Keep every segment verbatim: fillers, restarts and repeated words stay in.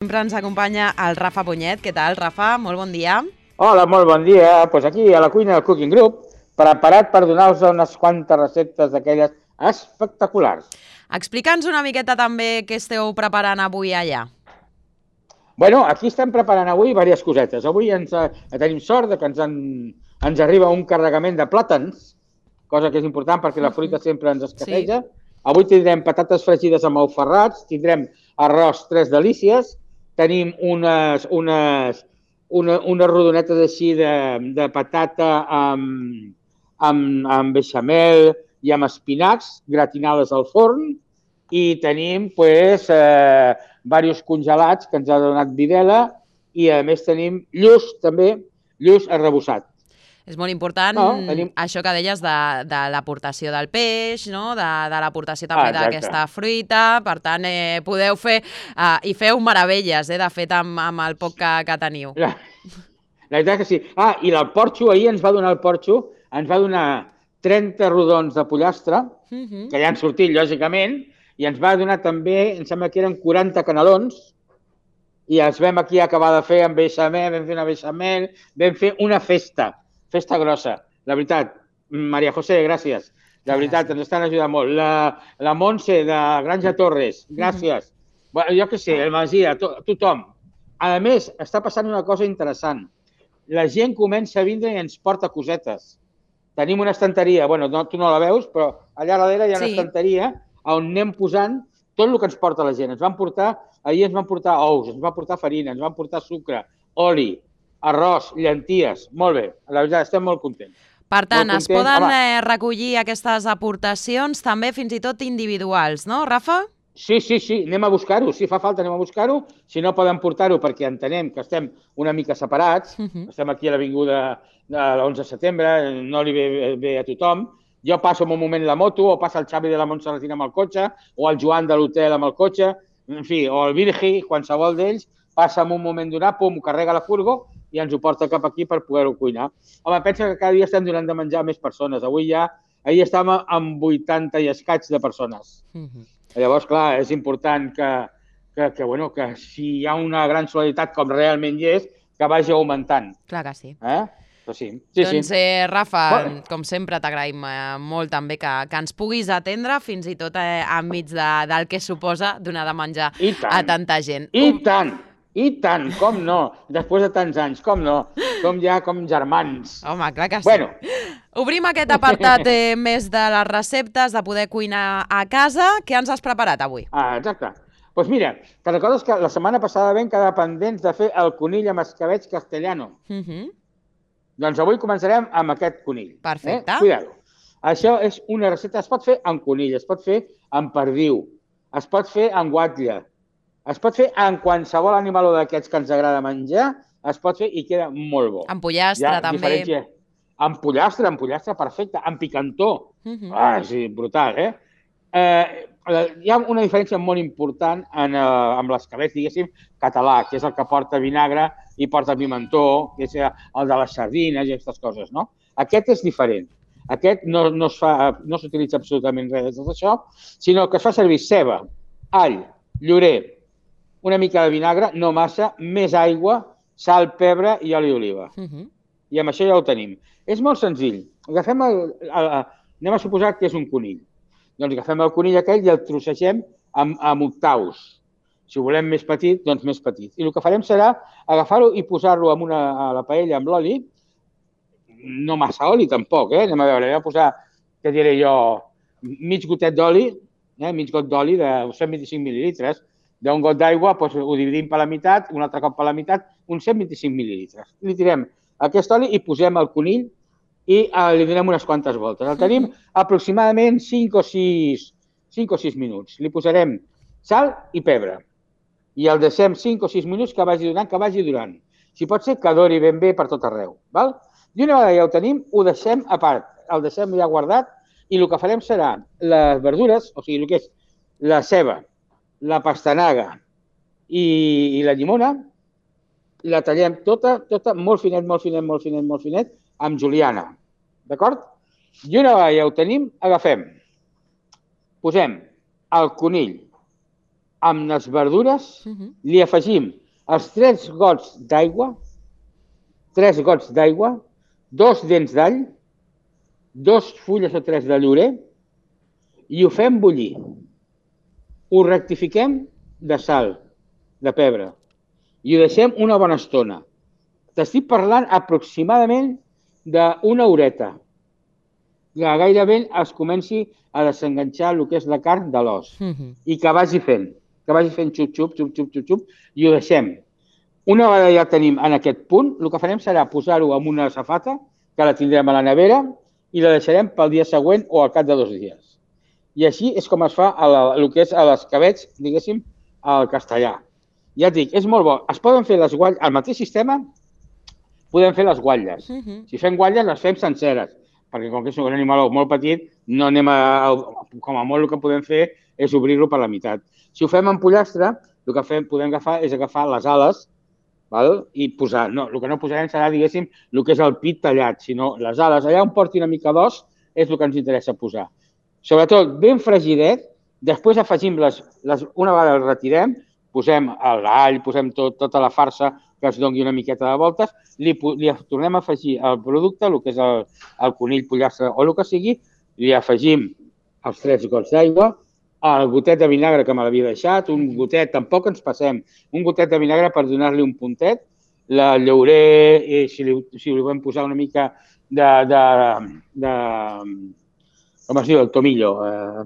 Sempre ens acompanya el Rafa Punyet. Què tal, Rafa? Molt bon dia. Hola, molt bon dia. Pues aquí a la cuina del Cooking Group, preparat per donar-vos unes quantes receptes d'aquelles espectaculars. Explica'ns una miqueta també què esteu preparant avui allà. Bueno, aquí estem preparant avui diverses cosetes. Avui ens, eh, tenim sort de que ens, en, ens arriba un carregament de plàtans, cosa que és important perquè la fruita sempre ens escasseja. Sí. Avui tindrem patates fregides amb ous ferrats, tindrem arròs tres delícies, tenim unes, unes, una, unes rodonetes així de, de patata amb, amb, amb beixamel i amb espinacs gratinades al forn i tenim pues, eh, diversos congelats que ens ha donat Videla i a més tenim lluç també, lluç arrebossat. És molt important no, tenim... això que deies de, de l'aportació del peix, no? de, de l'aportació també ah, d'aquesta fruita. Per tant, eh, podeu fer eh, i feu meravelles, eh, de fet, amb, amb el poc que, que teniu. La, la veritat que sí. Ah, i el porxo, ahir ens va donar el porxo, ens va donar trenta rodons de pollastre, uh -huh. que ja han sortit, lògicament, i ens va donar també, em sembla que eren quaranta canelons, i els vam aquí acabar de fer amb beixamel, vam fer una beixamel, vam fer una festa. Festa grossa. La veritat, Maria José, gràcies. La veritat, gràcies. Ens estan ajudant molt. La, la Montse, de Granja Torres, gràcies. Mm. Bueno, jo què sé, el Masia, to, tothom. A més, està passant una cosa interessant. La gent comença a vindre i ens porta cosetes. Tenim una estanteria, bueno, no, tu no la veus, però allà darrere hi ha una sí. estanteria on anem posant tot el que ens porta la gent. Ens van portar, ahir ens van portar ous, ens van portar farina, ens van portar sucre, oli, arròs, llenties, molt bé, la veritat, estem molt contents. Per tant, es poden eh, recollir aquestes aportacions també fins i tot individuals, no, Rafa? Sí, sí, sí, anem a buscar-ho, si fa falta anem a buscar-ho, si no poden portar-ho perquè entenem que estem una mica separats, uh -huh. estem aquí a l'avinguda de l'onze de setembre, no li ve bé a tothom, jo passo en un moment la moto, o passa el Xavi de la Montserratina amb el cotxe, o el Joan de l'hotel amb el cotxe, en fi, o el Virgi, qualsevol d'ells, passa en un moment donat, pum, carrega la furgo, i ens ho porta cap aquí per poder-ho cuinar. Home, pensa que cada dia estem donant de menjar a més persones. Avui ja, ahir estàvem amb vuitanta i escaig de persones. Uh-huh. Llavors, clar, és important que, que, que, bueno, que si hi ha una gran solidaritat, com realment hi és, que vagi augmentant. Clar que sí. Eh? Però sí. sí doncs, sí. Eh, Rafa, bueno. com sempre t'agraïm eh, molt també que, que ens puguis atendre, fins i tot eh, enmig de, del que suposa donar de menjar a tanta gent. I um... tant! I tant, com no, després de tants anys, com no, som ja com germans. Home, clar que sí. Bueno. Obrim aquest apartat eh, més de les receptes, de poder cuinar a casa. Què ens has preparat avui? Ah, exacte. Doncs pues mira, te recordes que la setmana passada vam quedar pendents de fer el conill amb escabeig castellano? Uh -huh. Doncs avui començarem amb aquest conill. Perfecte. Eh? Cuidado. Això és una recepta, es pot fer amb conill, es pot fer amb perdiu, es pot fer amb guatlla, es pot fer amb qualsevol animal d'aquests que ens agrada menjar, es pot fer i queda molt bo. Amb pollastre, ja, també. Diferència. Amb pollastre, amb pollastre, perfecte. Amb picantó. Uh -huh. Ah, sí, brutal, eh? eh? Hi ha una diferència molt important en, uh, amb l'escabeig, diguéssim, català, que és el que porta vinagre i porta pimentó, que és el de les sardines i aquestes coses, no? Aquest és diferent. Aquest no, no es fa, no s'utilitza absolutament res de tot això, sinó que es fa servir ceba, all, llorer, una mica de vinagre, no massa, més aigua, sal, pebre i oli d'oliva. Uh -huh. I amb això ja ho tenim. És molt senzill. Agafem el, el, el, anem a suposar que és un conill. Doncs agafem el conill aquell i el trossegem amb, amb octaus. Si ho volem més petit, doncs més petit. I el que farem serà agafar-ho i posar-lo en una, a la paella amb l'oli. No massa oli, tampoc, eh? Anem a veure, anem a posar, què diré jo, mig gotet d'oli, eh? mig got d'oli de cent vint-i-cinc mil·lilitres. D'un got d'aigua doncs, ho dividim per la meitat, un altre cop per la meitat, uns cent vint-i-cinc mil·lilitres. Li tirem aquest oli i posem el conill i eh, li donem unes quantes voltes. El tenim aproximadament cinc o sis minuts. Li posarem sal i pebre i el deixem cinc o sis minuts que vagi donant, que vagi durant. Si pot ser, que dori ben bé per tot arreu. Val? I una vegada ja ho tenim, ho deixem a part, el deixem ja guardat i el que farem serà les verdures, o sigui, el que és la ceba, la pastanaga i, i la llimona, la tallem tota, tota, molt finet, molt finet, molt finet, molt finet, amb juliana, d'acord? I una vegada ja ho tenim, agafem, posem el conill amb les verdures, li afegim els tres gots d'aigua, tres gots d'aigua, dos dents d'all, dos fulles o tres de llorer i ho fem bullir. Ho rectifiquem de sal, de pebre, i ho deixem una bona estona. T'estic parlant aproximadament d'una horeta. Que gairebé es comenci a desenganxar el que és la carn de l'os i que vagi fent, que vagi fent xup-xup, xup-xup, xup-xup, i ho deixem. Una vegada ja tenim en aquest punt, el que farem serà posar-ho en una safata, que la tindrem a la nevera, i la deixarem pel dia següent o al cap de dos dies. I així és com es fa el que és l'escabetx, diguéssim, al castellà. Ja et dic, és molt bo. Es poden fer les guatlles, al mateix sistema, podem fer les guatlles. Si fem guatlles, les fem senceres, perquè com que és un animal molt petit, no anem a, com a molt el que podem fer és obrir-lo per la meitat. Si ho fem en pollastre, el que fem, podem agafar és agafar les ales, val? I posar, no, el que no posarem serà, diguéssim, el que és el pit tallat, sinó les ales. Allà on porti una mica d'os és el que ens interessa posar. Sobretot ben fregidet, després afegim les, les una vegada el retirem, posem l'all, posem tot, tota la farsa que es doni una miqueta de voltes, li, li tornem a afegir el producte, el que és el, el conill, pollastre o el que sigui, li afegim els tres gots d'aigua, el gotet de vinagre que me l'havia deixat, un gotet, tampoc ens passem, un gotet de vinagre per donar-li un puntet, la llaurer, i si li, si li vam posar una mica de, de, de com es diu, el tomillo. Eh,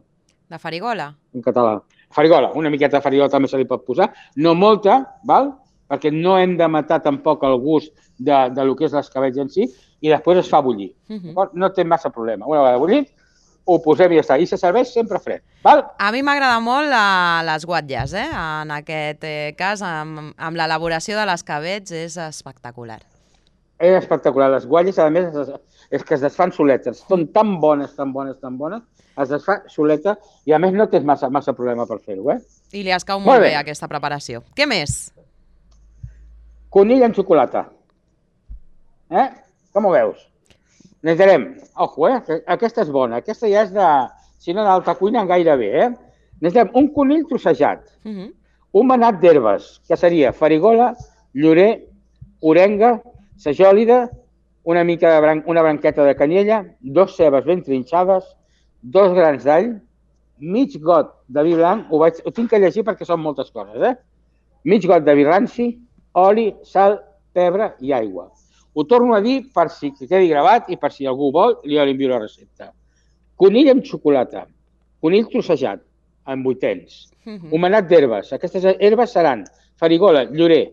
de farigola. En català. Farigola, una miqueta de farigola també se li pot posar, no molta, val? Perquè no hem de matar tampoc el gust de, de lo que és l'escabetx en si, i després es fa bullir. Uh-huh. No té massa problema. Una vegada bullit, ho posem i ja està. I se serveix sempre fred. Val? A mi m'agrada molt la, les guatlles, eh? En aquest eh, cas, amb, amb l'elaboració de l'escabetx, és espectacular. És espectacular. Les guatlles, a més, és, és que es desfan soletes. Són tan bones, tan bones, tan bones, es desfà soleta i, a més, no tens massa, massa problema per fer-ho, eh? I li escau molt, molt bé, bé aquesta preparació. Què més? Conill amb xocolata. Eh? Com ho veus? Necessitarem, ojo, eh? Aquesta és bona. Aquesta ja és de, si no d'alta cuina, gairebé, eh? Necessitarem un conill trossejat, uh-huh. un manat d'herbes, que seria farigola, llorer, orenga, sajòlida, una mica de bran una branqueta de canyella, dos cebes ben trinxades, dos grans d'all, mig got de vi blanc, ho, vaig, ho tinc que llegir perquè són moltes coses, eh? Mig got de vi ranci, oli, sal, pebre i aigua. Ho torno a dir per si quedi gravat i per si algú vol, li envio la recepta. Conill amb xocolata, conill trossejat, amb vuitens, uh-huh. un manat d'herbes. Aquestes herbes seran farigola, llorer,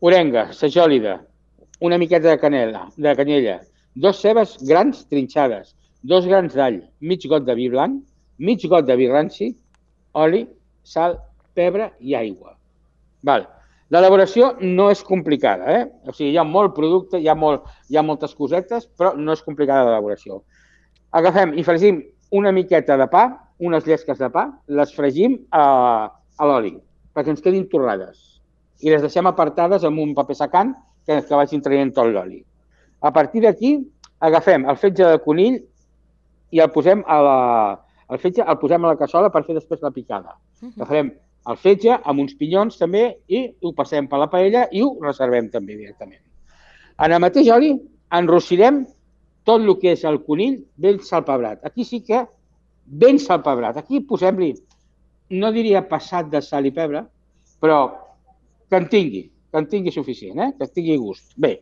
orenga, sajòlida, una miqueta de canela, de canyella, dos cebes grans trinxades, dos grans d'all, mig got de vi blanc, mig got de vi ranci, oli, sal, pebre i aigua. Val. L'elaboració no és complicada, eh? O sigui, hi ha molt producte, hi ha, molt, hi ha moltes cosetes, però no és complicada l'elaboració. Agafem i fregim una miqueta de pa, unes llesques de pa, les fregim a, a l'oli, perquè ens quedin torrades. I les deixem apartades amb un paper secant que, que vagin traient tot l'oli. A partir d'aquí, agafem el fetge de conill i el posem a la, el fetge el posem a la cassola per fer després la picada. Agafem el fetge amb uns pinyons també i ho passem per la paella i ho reservem també directament. En el mateix oli enrossirem tot el que és el conill ben salpebrat. Aquí sí que ben salpebrat. Aquí posem-li, no diria passat de sal i pebre, però que en tingui, que en tingui suficient, eh? Que en tingui gust. Bé,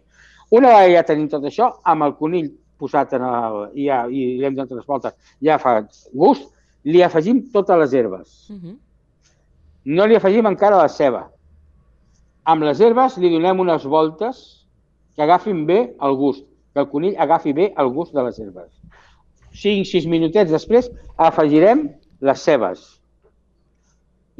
una vegada ja tenim tot això, amb el conill posat en el, i, ja, i l'hem donat les voltes, ja fa gust, li afegim totes les herbes. Uh-huh. No li afegim encara la ceba. Amb les herbes li donem unes voltes que agafin bé el gust, que el conill agafi bé el gust de les herbes. cinc sis minutets després afegirem les cebes.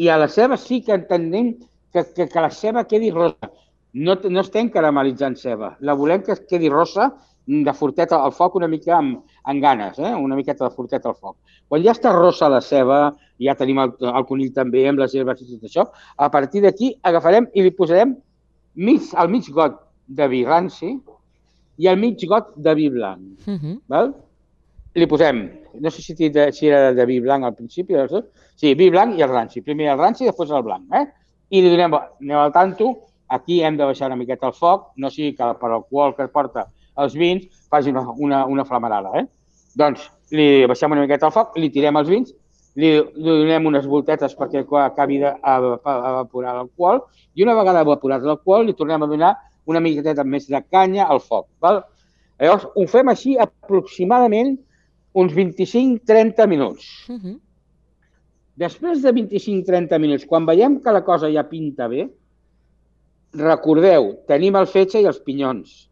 I a les cebes sí que entenem que, que, que la ceba quedi rosa. No, no estem caramelitzant ceba. La volem que quedi rosa de fortet al foc una mica amb, amb ganes, eh? Una miqueta de fortet al foc. Quan ja està rosa la ceba, ja tenim el, el conill també amb les herbes i tot això, a partir d'aquí agafarem i li posarem mig, el mig got de vi ranci i el mig got de vi blanc. Uh-huh. Val? li posem, no sé si, de, si era de vi blanc al principi, sí, vi blanc i el ranci. Primer el ranci i després el blanc. Eh? I li donem, anem al tanto, aquí hem de baixar una miqueta el foc, no sigui que per l'alcohol que porta els vins faci una, una, una flamarada. Eh? Doncs li baixem una miqueta el foc, li tirem els vins, li, li donem unes voltetes perquè acabi d'evaporar l'alcohol i una vegada evaporat l'alcohol li tornem a donar una miqueta més de canya al foc. Val? Llavors, ho fem així aproximadament uns vint-i-cinc a trenta minuts. Uh -huh. Després de vint-i-cinc a trenta minuts, quan veiem que la cosa ja pinta bé, recordeu, tenim el fetge i els pinyons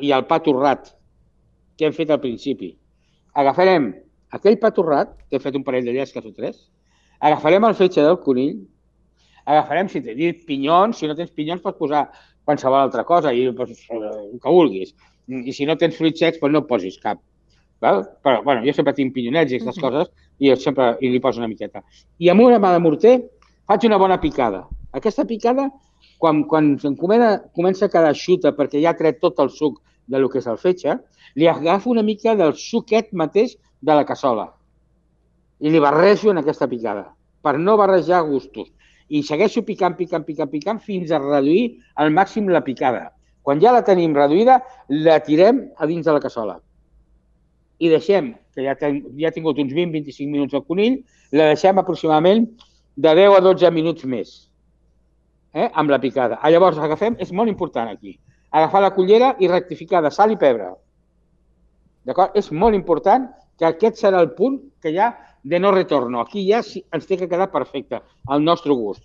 i el pa torrat que hem fet al principi. Agafarem aquell pa torrat, que he fet un parell de llesques o tres, agafarem el fetge del conill, agafarem, si tens pinyons, si no tens pinyons pots posar qualsevol altra cosa, i el que vulguis. I si no tens fruits secs, doncs no posis cap. Val? Però, bueno, jo sempre tinc pinyonets i aquestes uh-huh. coses i sempre i li poso una miqueta. I amb una mà de morter faig una bona picada. Aquesta picada, quan, quan comença a quedar xuta perquè ja ha tret tot el suc del que és el fetge, li agafo una mica del suquet mateix de la cassola i li barrejo en aquesta picada per no barrejar gustos. I segueixo picant, picant, picant, picant fins a reduir al màxim la picada. Quan ja la tenim reduïda, la tirem a dins de la cassola. I deixem, que ja, ten, ja ha tingut uns vint a vint-i-cinc minuts el conill, la deixem aproximadament de deu a dotze minuts més, eh, amb la picada. Llavors agafem, és molt important aquí, agafar la cullera i rectificar de sal i pebre. D'acord? És molt important que aquest serà el punt que ja de no retorno. Aquí ja ens té que quedar perfecte, al nostre gust.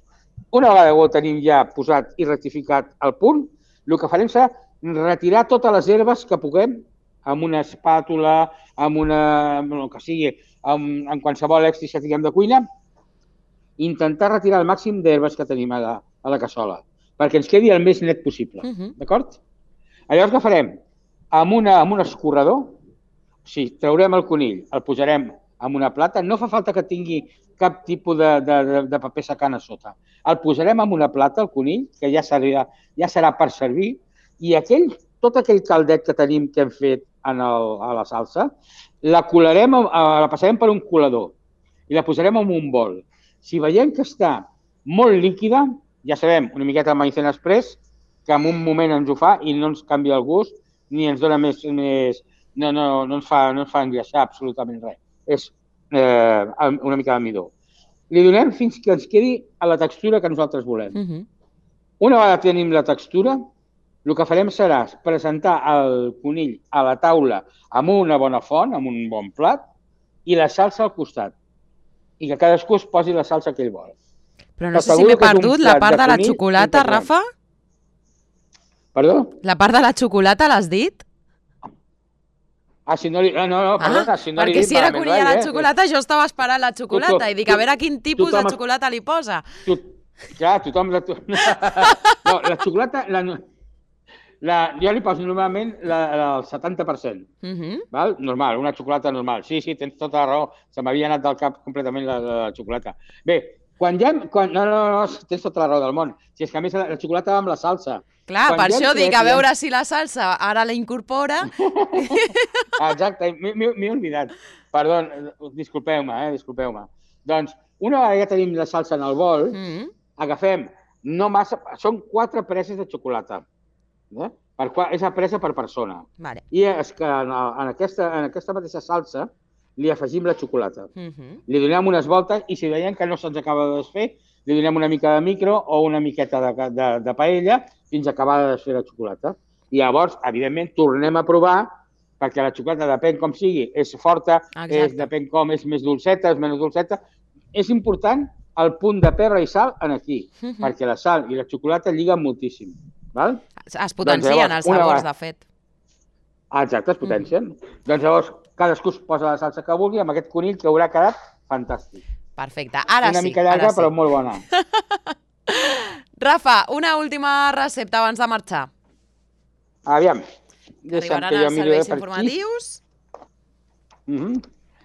Una vegada que ho tenim ja posat i rectificat al punt, el que farem serà retirar totes les herbes que puguem amb una espàtula, amb una, el que sigui, amb, amb qualsevol èxtis que tinguem de cuina, intentar retirar el màxim d'herbes que tenim a la, a la cassola, perquè ens quedi el més net possible. Uh-huh. D'acord? Llavors què farem? Amb, una, amb un escorredor, o sigui, traurem el conill, el posarem en una plata, no fa falta que tingui cap tipus de, de, de paper secant a sota. El posarem en una plata, el conill, que ja serà, ja serà per servir, i aquell, tot aquell caldet que tenim que hem fet en el, a la salsa, la colarem, la passarem per un colador i la posarem en un bol. Si veiem que està molt líquida, ja sabem, una miqueta de maïzena express, que en un moment ens ho fa i no ens canvia el gust, ni ens dona més... més no, no, no, ens fa, no ens fa engreixar absolutament res. És eh, una mica de midó. Li donem fins que ens quedi a la textura que nosaltres volem. Uh-huh. Una vegada tenim la textura, el que farem serà presentar el conill a la taula amb una bona font, amb un bon plat, i la salsa al costat. I que cadascú es posi la salsa que ell vol. Però no sé si m'he perdut la part de la xocolata, Rafa? Perdó? La part de la xocolata l'has dit? Ah, si no li... No, no, perdona, si no li perquè si era conill a la xocolata, jo estava esperant la xocolata i dic, a veure quin tipus de xocolata li posa. Clar, tothom... No, la xocolata... La, jo li poso normalment la, la, el setanta per cent, uh-huh. Val? Normal, una xocolata normal. Sí, sí, tens tota la raó, se m'havia anat del cap completament la, la, la xocolata. Bé, quan ja... Quan, no, no, no, tens tota la raó del món. Si és que a més la, la xocolata va amb la salsa. Clar, quan per ja això dic, a veure si la salsa ara la incorpora. Exacte, m'he oblidat. Perdó, disculpeu-me, eh, disculpeu-me. Doncs, una vegada ja tenim la salsa en el bol, uh-huh. Agafem, no massa... Són quatre preses de xocolata. Eh? Per, és a presa per persona. Vale. I és que en, en, aquesta, en aquesta mateixa salsa li afegim la xocolata. Uh-huh. Li donem unes voltes i si veiem que no se'ns acaba de desfer, li donem una mica de micro o una miqueta de, de, de paella fins a acabar de desfer la xocolata. I llavors, evidentment, tornem a provar perquè la xocolata, depèn com sigui, és forta, és, depèn com, és més dolceta, és menys dolceta. És important el punt de pebre i sal en aquí, uh-huh. perquè la sal i la xocolata lliguen moltíssim. Val? Es potencien doncs, llavors, els sabors, de fet. Ah, exacte, es potencien. Mm. Doncs llavors, cadascú es posa la salsa que vulgui amb aquest conill que haurà quedat fantàstic. Perfecte, ara una sí. Una mica llarga, sí. Però molt bona. Rafa, una última recepta abans de marxar. Aviam. Arribaran els serveis informatius. Mm -hmm.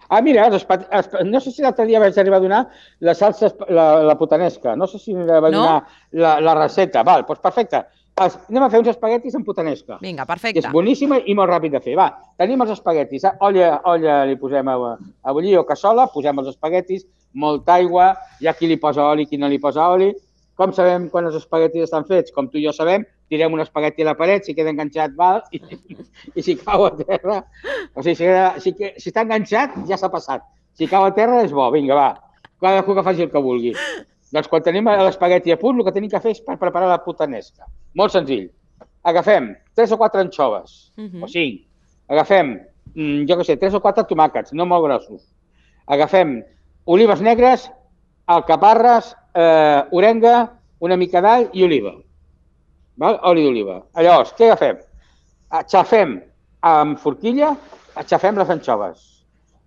Ah, mira, els espa... no sé si l'altre dia vaig arribar a donar la salsa, la, la putanesca. No sé si vaig no? donar la, la recepta. Val, doncs perfecte. Els... Anem a fer uns espaguetis amb putanesca. Vinga, perfecte. És boníssima i molt ràpid de fer. Va, tenim els espaguetis. Olla, olla li posem a, a bullir o cassola, posem els espaguetis, molta aigua, hi ha qui li posa oli, qui no li posa oli. Com sabem quan els espaguetis estan fets? Com tu i jo sabem, tirem un espagueti a la paret, si queda enganxat, val, i, i si cau a terra... O sigui, si, si, si està enganxat, ja s'ha passat. Si cau a terra, és bo. Vinga, va. Cadascú que faci el que vulgui. Doncs quan tenim l'espagueti a punt, el que tenim que fer és per preparar la putanesca. Molt senzill. Agafem tres o quatre anxoves, uh-huh. o cinc. Agafem, jo què sé, tres o quatre tomàquets, no molt grossos. Agafem olives negres, alcaparres, eh, orenga, una mica d'all i oliva. Val? Oli d'oliva. Llavors, què agafem? Xafem amb forquilla, xafem les anxoves.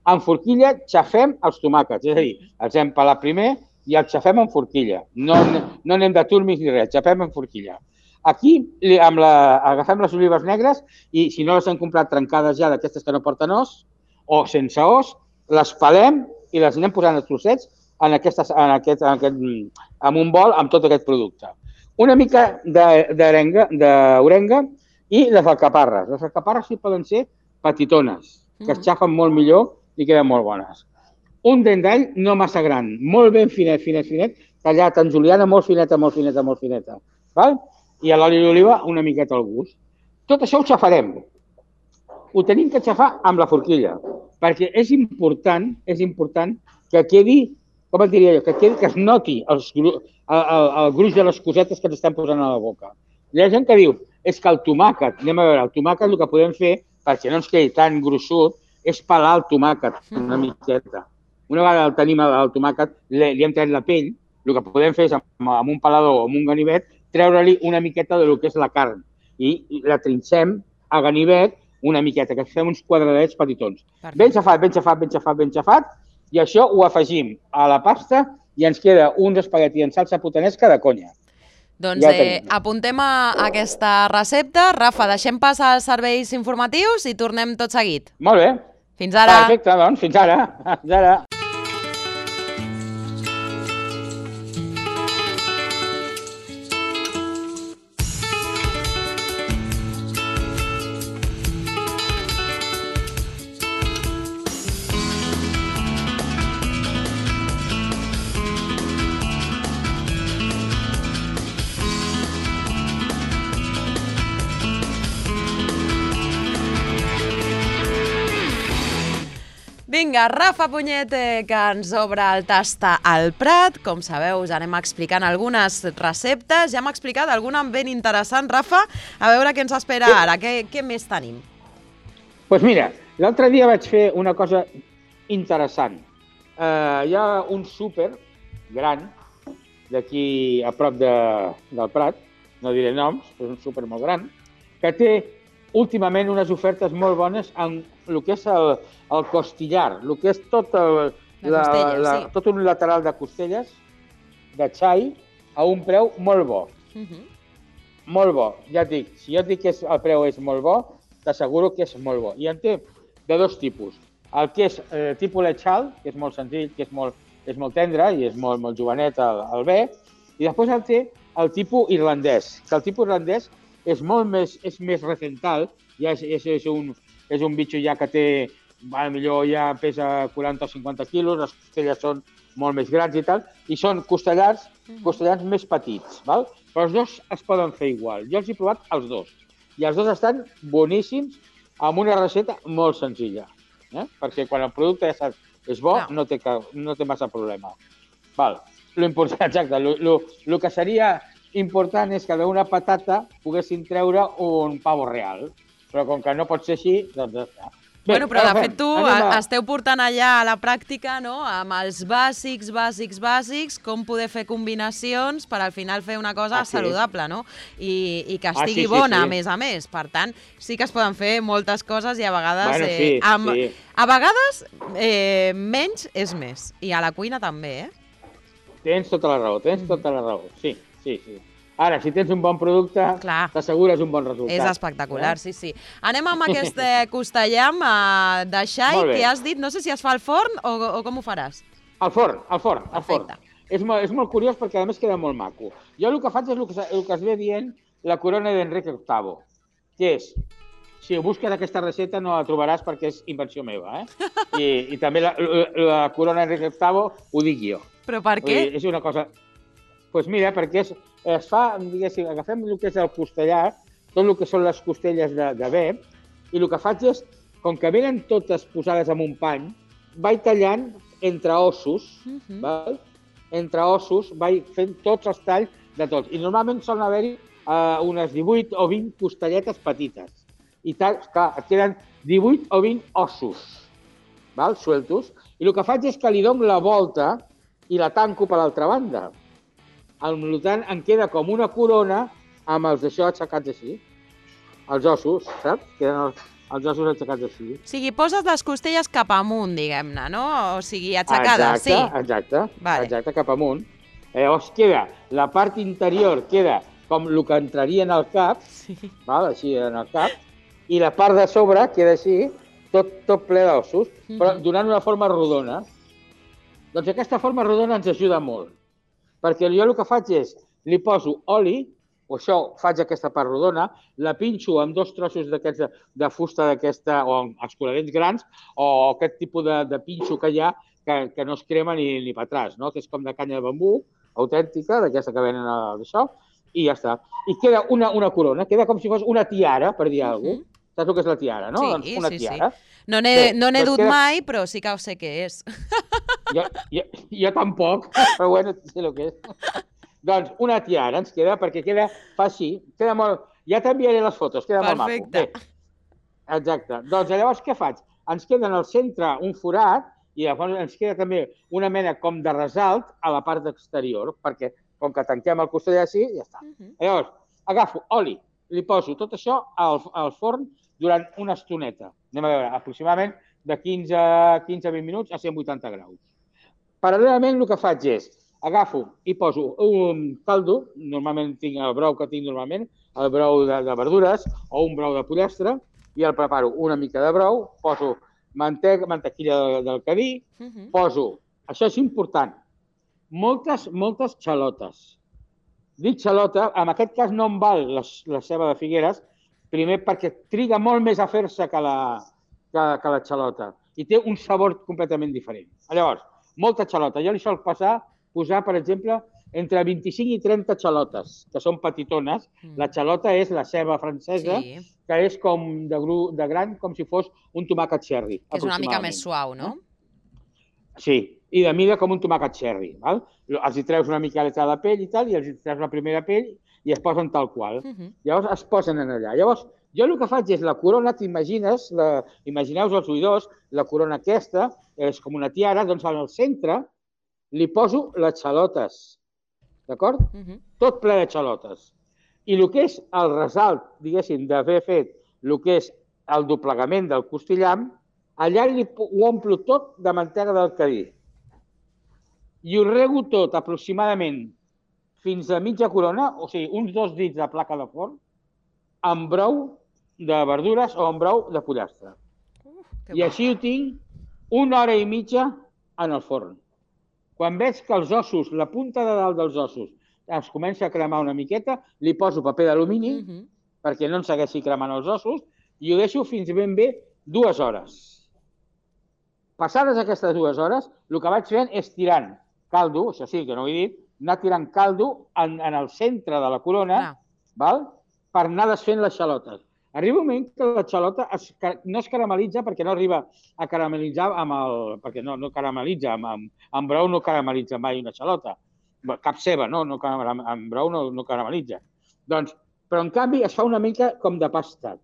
Amb forquilla xafem els tomàquets, és a dir, els hem pelat primer i els xafem amb forquilla. No, no anem de turmis ni res, xafem amb forquilla. Aquí amb la, agafem les olives negres i si no les hem comprat trencades ja d'aquestes que no porten os o sense os, les pelem i les anem posant a trossets en, aquestes, en, aquest, en, aquest, en un bol amb tot aquest producte. Una mica d'orenga i les alcaparres. Les alcaparres sí poden ser petitones, que es xafen molt millor i queden molt bones. Un dent d'all no massa gran, molt ben finet, finet, finet, tallat en juliana, molt fineta, molt fineta, molt fineta. Val? I a l'oli d'oliva una miqueta al gust. Tot això ho xafarem. Ho tenim que xafar amb la forquilla, perquè és important, és important que quedi, com et diria jo, que quedi, que es noti els, el, el, el gruix de les cosetes que ens estem posant a la boca. Hi ha gent que diu, és que el tomàquet, anem a veure, el tomàquet el que podem fer, perquè no ens quedi tan gruixut, és pelar el tomàquet una miqueta. Una vegada el tenim el tomàquet, li, li hem tret la pell, el que podem fer és amb, amb un pelador o amb un ganivet, treure-li una miqueta del que és la carn i la trinxem a ganivet una miqueta, que fem uns quadradets petitons. Perfecte. Ben xafat, ben xafat, ben xafat, ben xafat, i això ho afegim a la pasta i ens queda un espagueti en salsa putanesca de conya. Doncs ja eh, apuntem a aquesta recepta. Rafa, deixem passar els serveis informatius i tornem tot seguit. Molt bé. Fins ara. Perfecte, doncs, fins ara. Fins ara. Vinga, Rafa Punyet, que ens obre el Tasta al Prat. Com sabeu, us anem explicant algunes receptes. Ja hem explicat alguna ben interessant, Rafa. A veure què ens espera sí. ara. Què, què més tenim? Doncs pues mira, l'altre dia vaig fer una cosa interessant. Uh, hi ha un súper gran d'aquí a prop de, del Prat, no diré noms, és un súper molt gran, que té últimament unes ofertes molt bones en el que és el, el costillar, el que és tot, el, la, costella, la, sí. tot un lateral de costelles, de xai, a un preu molt bo. Uh -huh. Molt bo. Ja et dic, si jo et dic que és, el preu és molt bo, t'asseguro que és molt bo. I en té de dos tipus. El que és eh, tipus lechal, que és molt senzill, que és molt, és molt tendre i és molt, molt jovenet el, el bé, i després el té el tipus irlandès, que el tipus irlandès és molt més, és més recental, ja és, és, és, un, és un bitxo ja que té, a millor ja pesa quaranta o cinquanta quilos, les costelles són molt més grans i tal, i són costellars, costellars més petits, val? Però els dos es poden fer igual. Jo els he provat els dos, i els dos estan boníssims amb una recepta molt senzilla, eh? Perquè quan el producte ja saps és bo, no, no, té, no té massa problema. Val. Lo important, exacte, lo, lo, lo que seria important és que d'una patata poguessin treure un pavo real, però com que no pot ser així, doncs ja està. Bé, bueno, però de fet tu a... esteu portant allà a la pràctica, no?, amb els bàsics, bàsics, bàsics, com poder fer combinacions per al final fer una cosa ah, sí. saludable, no?, I, i que estigui ah, sí, sí, bona, sí. a més a més. Per tant, sí que es poden fer moltes coses i a vegades... Bueno, sí, eh, amb, sí. A vegades eh, menys és més. I a la cuina també, eh? Tens tota la raó, tens tota la raó, sí, sí, sí. Ara, si tens un bon producte, t'assegures un bon resultat. És espectacular, sí, sí. Anem amb aquest costellam de xai que has dit, no sé si es fa al forn o com ho faràs. Al forn, al forn, al forn. És molt curiós perquè a més queda molt maco. Jo el que faig és el que es ve dient la corona d'Enrique octavo, que és, si busques aquesta recepta no la trobaràs perquè és invenció meva, eh? I també la corona d'Enrique octavo ho dic jo. Però per què? És una cosa... Doncs mira, perquè es fa, diguéssim, agafem el que és el costellar, tot el que són les costelles de bé, i el que faig és, com que venen totes posades en un pany, vaig tallant entre ossos, val? Entre ossos, vaig fent tots els talls de tots. I normalment solen haver-hi unes divuit o vint costelletes petites. I clar, et queden divuit o vint ossos, val? Sueltos. I el que faig és que li dono la volta i la tanco per l'altra banda. Al tant, em queda com una corona amb els d'això aixecats així. Els ossos, saps? Queden els, els ossos aixecats així. O sigui, poses les costelles cap amunt, diguem-ne, no? O sigui, aixecades, sí. Exacte, vale. Exacte, cap amunt. Llavors queda, la part interior queda com el que entraria en el cap, sí. Val? Així en el cap, i la part de sobre queda així, tot, tot ple d'ossos, mm-hmm. però donant una forma rodona. Doncs aquesta forma rodona ens ajuda molt, perquè jo el que faig és, li poso oli, o això, faig aquesta part rodona, la pinxo amb dos trossos d'aquests de, de fusta d'aquesta, o amb escuradents grans, o aquest tipus de, de pinxo que hi ha, que, que no es crema ni, ni per atràs, no? Que és com de canya de bambú, autèntica, d'aquesta que venen d'això, i ja està. I queda una, una corona, queda com si fos una tiara, per dir alguna cosa. Saps el que és la tiara, no? Sí, doncs una sí, tiara. sí. No n'he no doncs dut queda... mai, però sí que ho sé què és. Jo, jo, jo tampoc, però bueno, sé el que és. Doncs una tiara ens queda, perquè queda, fa així, queda molt... Ja t'enviaré les fotos, queda Perfecte. Molt maco. Bé, exacte. Doncs llavors què faig? Ens queda en el centre un forat i llavors ens queda també una mena com de resalt a la part exterior, perquè com que tanquem el costell així, ja està. Uh-huh. Llavors, agafo oli, li poso tot això al, al forn durant una estoneta. Anem a veure, aproximadament de quinze a vint minuts a cent vuitanta graus. Paral·lelament el que faig és, agafo i poso un caldo, normalment tinc el brou que tinc normalment, el brou de, de verdures o un brou de pollastre, i el preparo una mica de brou, poso mantega, mantequilla del, del cadí, uh-huh. Poso, això és important, moltes, moltes xalotes. Dic xalota, en aquest cas no em val la, la ceba de Figueres, primer perquè triga molt més a fer-se que, la, que, que la xalota i té un sabor completament diferent. Llavors, molta xalota. Jo li sol passar, posar, per exemple, entre vint-i-cinc i trenta xalotes, que són petitones. Mm. La xalota és la ceba francesa, sí. Que és com de, gru, de gran, com si fos un tomàquet cherry. Que és una mica més suau, no? Sí, i de mida com un tomàquet cherry. Val? Els hi treus una mica de la pell i tal, i els hi treus la primera pell i es posen tal qual. Uh-huh. Llavors es posen en allà. Llavors, jo el que faig és la corona, t'imagines, imagineu-vos els oïdors, la corona aquesta, és com una tiara, doncs al centre li poso les xalotes, d'acord? Uh-huh. Tot ple de xalotes. I el que és el resalt, diguéssim, d'haver fet el que és el doblegament del costillam, allà li, ho omplo tot de mantega del cadí. I ho rego tot aproximadament fins a mitja corona, o sigui, uns dos dits de placa de forn, amb brou de verdures o amb brou de pollastre. Uh, I així ho tinc una hora i mitja en el forn. Quan veig que els ossos, la punta de dalt dels ossos, es comença a cremar una miqueta, li poso paper d'alumini, uh-huh. perquè no en segueixi cremant els ossos, i ho deixo fins ben bé dues hores. Passades aquestes dues hores, el que vaig fent és tirant caldo, això sí que no ho he dit, anar tirant caldo en, en el centre de la corona, ah. val? Per anar desfent les xalotes. Arriba un moment que la xalota es, no es caramelitza perquè no arriba a caramelitzar amb el... perquè no, no caramelitza, amb, amb, amb brou no caramelitza mai una xalota. Cap ceba, no? no amb brou no, no caramelitza. Doncs, però en canvi es fa una mica com de pasta.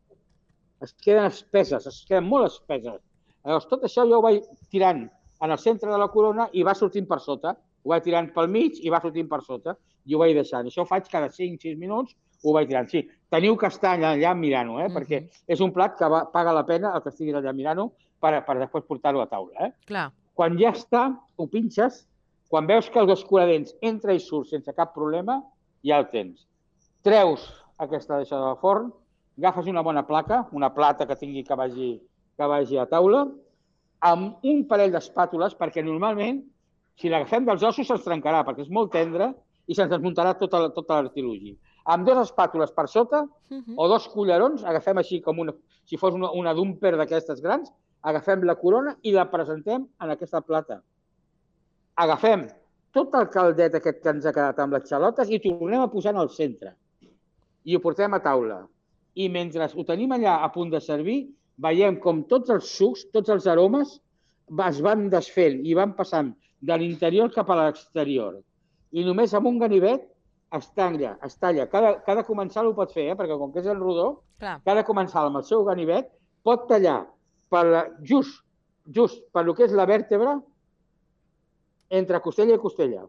Es queden espeses, es queden molt espeses. Llavors, tot això jo ho vaig tirant en el centre de la corona i va sortint per sota. Ho vaig tirant pel mig i va sortint per sota. I ho vaig deixant. Això ho faig cada cinc sis minuts, ho vaig tirant. Sí, teniu que estar allà mirant-ho, eh? Mm-hmm. Perquè és un plat que va, paga la pena el que estiguis allà mirant-ho per, per després portar-ho a taula. Eh? Clar. Quan ja està, ho pinxes, quan veus que els escuradents entra i surt sense cap problema, ja el tens. treus aquesta deixa de forn, agafes una bona placa, una plata que tingui que vagi, que vagi a taula, amb un parell d'espàtules, perquè normalment, si l'agafem dels ossos, se'ns trencarà, perquè és molt tendre i se'ns desmuntarà tota, tota l'artilugi. Amb dues espàtules per sota, uh -huh. o dos cullerons, agafem així com una, si fos una, una dumper d'aquestes grans, agafem la corona i la presentem en aquesta plata. Agafem tot el caldet aquest que ens ha quedat amb les xalotes i tornem a posar en el centre. I ho portem a taula. I mentre ho tenim allà a punt de servir, veiem com tots els sucs, tots els aromes es van desfent i van passant de l'interior cap a l'exterior. I només amb un ganivet es talla, es talla. Cada, cada comensal ho pot fer, eh? Perquè com que és el rodó, Clar. cada comensal amb el seu ganivet pot tallar per la, just, just per lo que és la vèrtebra entre costella i costella.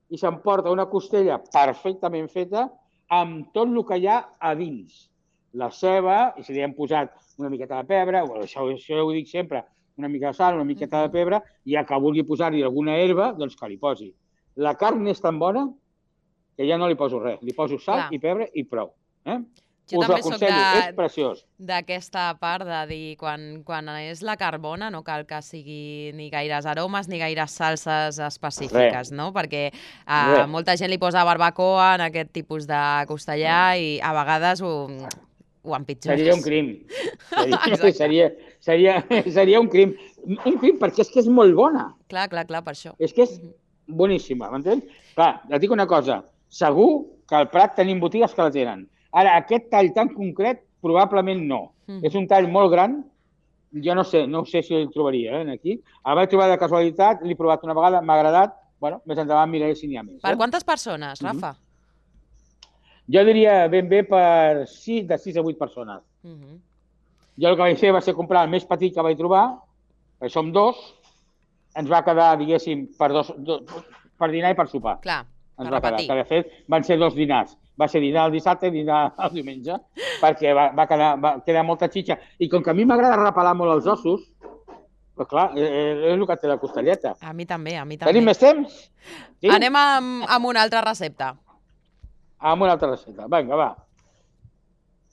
I s'emporta una costella perfectament feta amb tot el que hi ha a dins. La ceba, i si li hem posat una miqueta de pebre, això, això ho dic sempre, una mica de sal, una miqueta de pebre, i el que vulgui posar-hi alguna herba, doncs que li posi. La carn és tan bona que ja no li poso res. Li poso sal Clar. i pebre i prou. Eh? Jo Us també soc és preciós. D'aquesta part de dir, quan, quan és la carbona, no cal que sigui ni gaires aromes ni gaires salses específiques, Re. no? Perquè a Re. molta gent li posa barbacoa en aquest tipus de costellà i a vegades ho, ho empitjores. Seria un crim. Seria, seria, seria, seria un crim. Un crim perquè és que és molt bona. Clar, clar, clar, per això. És que és boníssima, m'entens? Clar, et dic una cosa, segur que al Prat tenim botigues que la tenen. Ara, aquest tall tan concret, probablement no. Mm. És un tall molt gran, jo no sé, no sé si el trobaria eh, aquí. El vaig trobar de casualitat, l'he provat una vegada, m'ha agradat, bueno, més endavant miraré si n'hi ha més. Per eh? quantes persones, Rafa? Mm -hmm. Jo diria ben bé per sis, de sis a vuit persones. Mm -hmm. Jo el que vaig fer va ser comprar el més petit que vaig trobar, perquè som dos, ens va quedar, diguéssim, per, dos, dos, per dinar i per sopar. Clar, ens per va repetir. Quedar, que de fet van ser dos dinars. Va ser dinar el dissabte i dinar el diumenge, perquè va, va, quedar, va quedar molta xitxa. I com que a mi m'agrada repelar molt els ossos, doncs clar, és el que té la costelleta. A mi també, a mi també. Tenim més temps? Sí? Anem amb, amb una altra recepta. Amb una altra recepta. Vinga, va.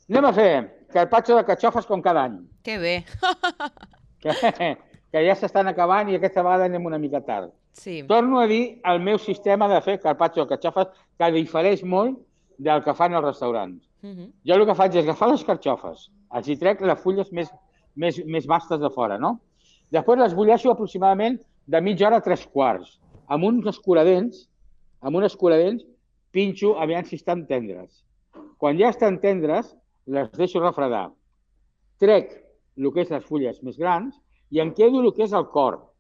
Anem a fer carpaccio de carxofes com cada any. Que bé. que, que ja s'estan acabant i aquesta vegada anem una mica tard. Sí. Torno a dir el meu sistema de fer carpaccio de carxofes, que difereix molt del que fan els restaurants. Uh -huh. Jo el que faig és agafar les carxofes, els hi trec les fulles més, més, més vastes de fora, no? Després les bulleixo aproximadament de mitja hora a tres quarts. Amb uns escuradents, amb uns escuradents, pinxo aviam si estan tendres. Quan ja estan tendres, les deixo refredar. Trec el que és les fulles més grans i em quedo el que és el cor.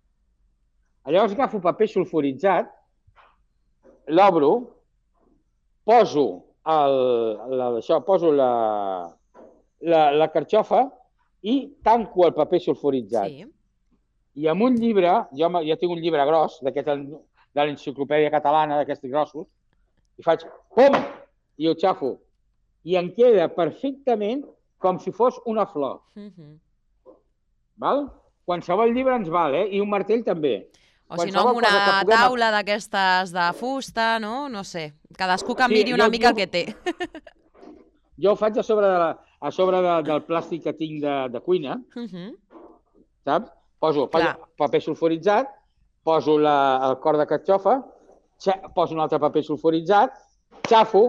Llavors agafo paper sulfuritzat, l'obro, poso, el, la, això, poso la, la, la carxofa i tanco el paper sulfuritzat. Sí. I amb un llibre, jo, jo tinc un llibre gros, d'aquest de l'enciclopèdia catalana, d'aquests grossos, i faig pum! I ho xafo. I em queda perfectament com si fos una flor. Uh-huh. Val? Qualsevol llibre ens val, eh? I un martell també. O si no, amb una puguem... taula d'aquestes de fusta, no? No sé. Cadascú que miri sí, una jo, mica jo... el que té. Jo ho faig a sobre, de la, a sobre de, del plàstic que tinc de, de cuina, uh-huh. saps? Poso paper sulfuritzat, poso la, el cor de carxofa, poso un altre paper sulfuritzat, xafo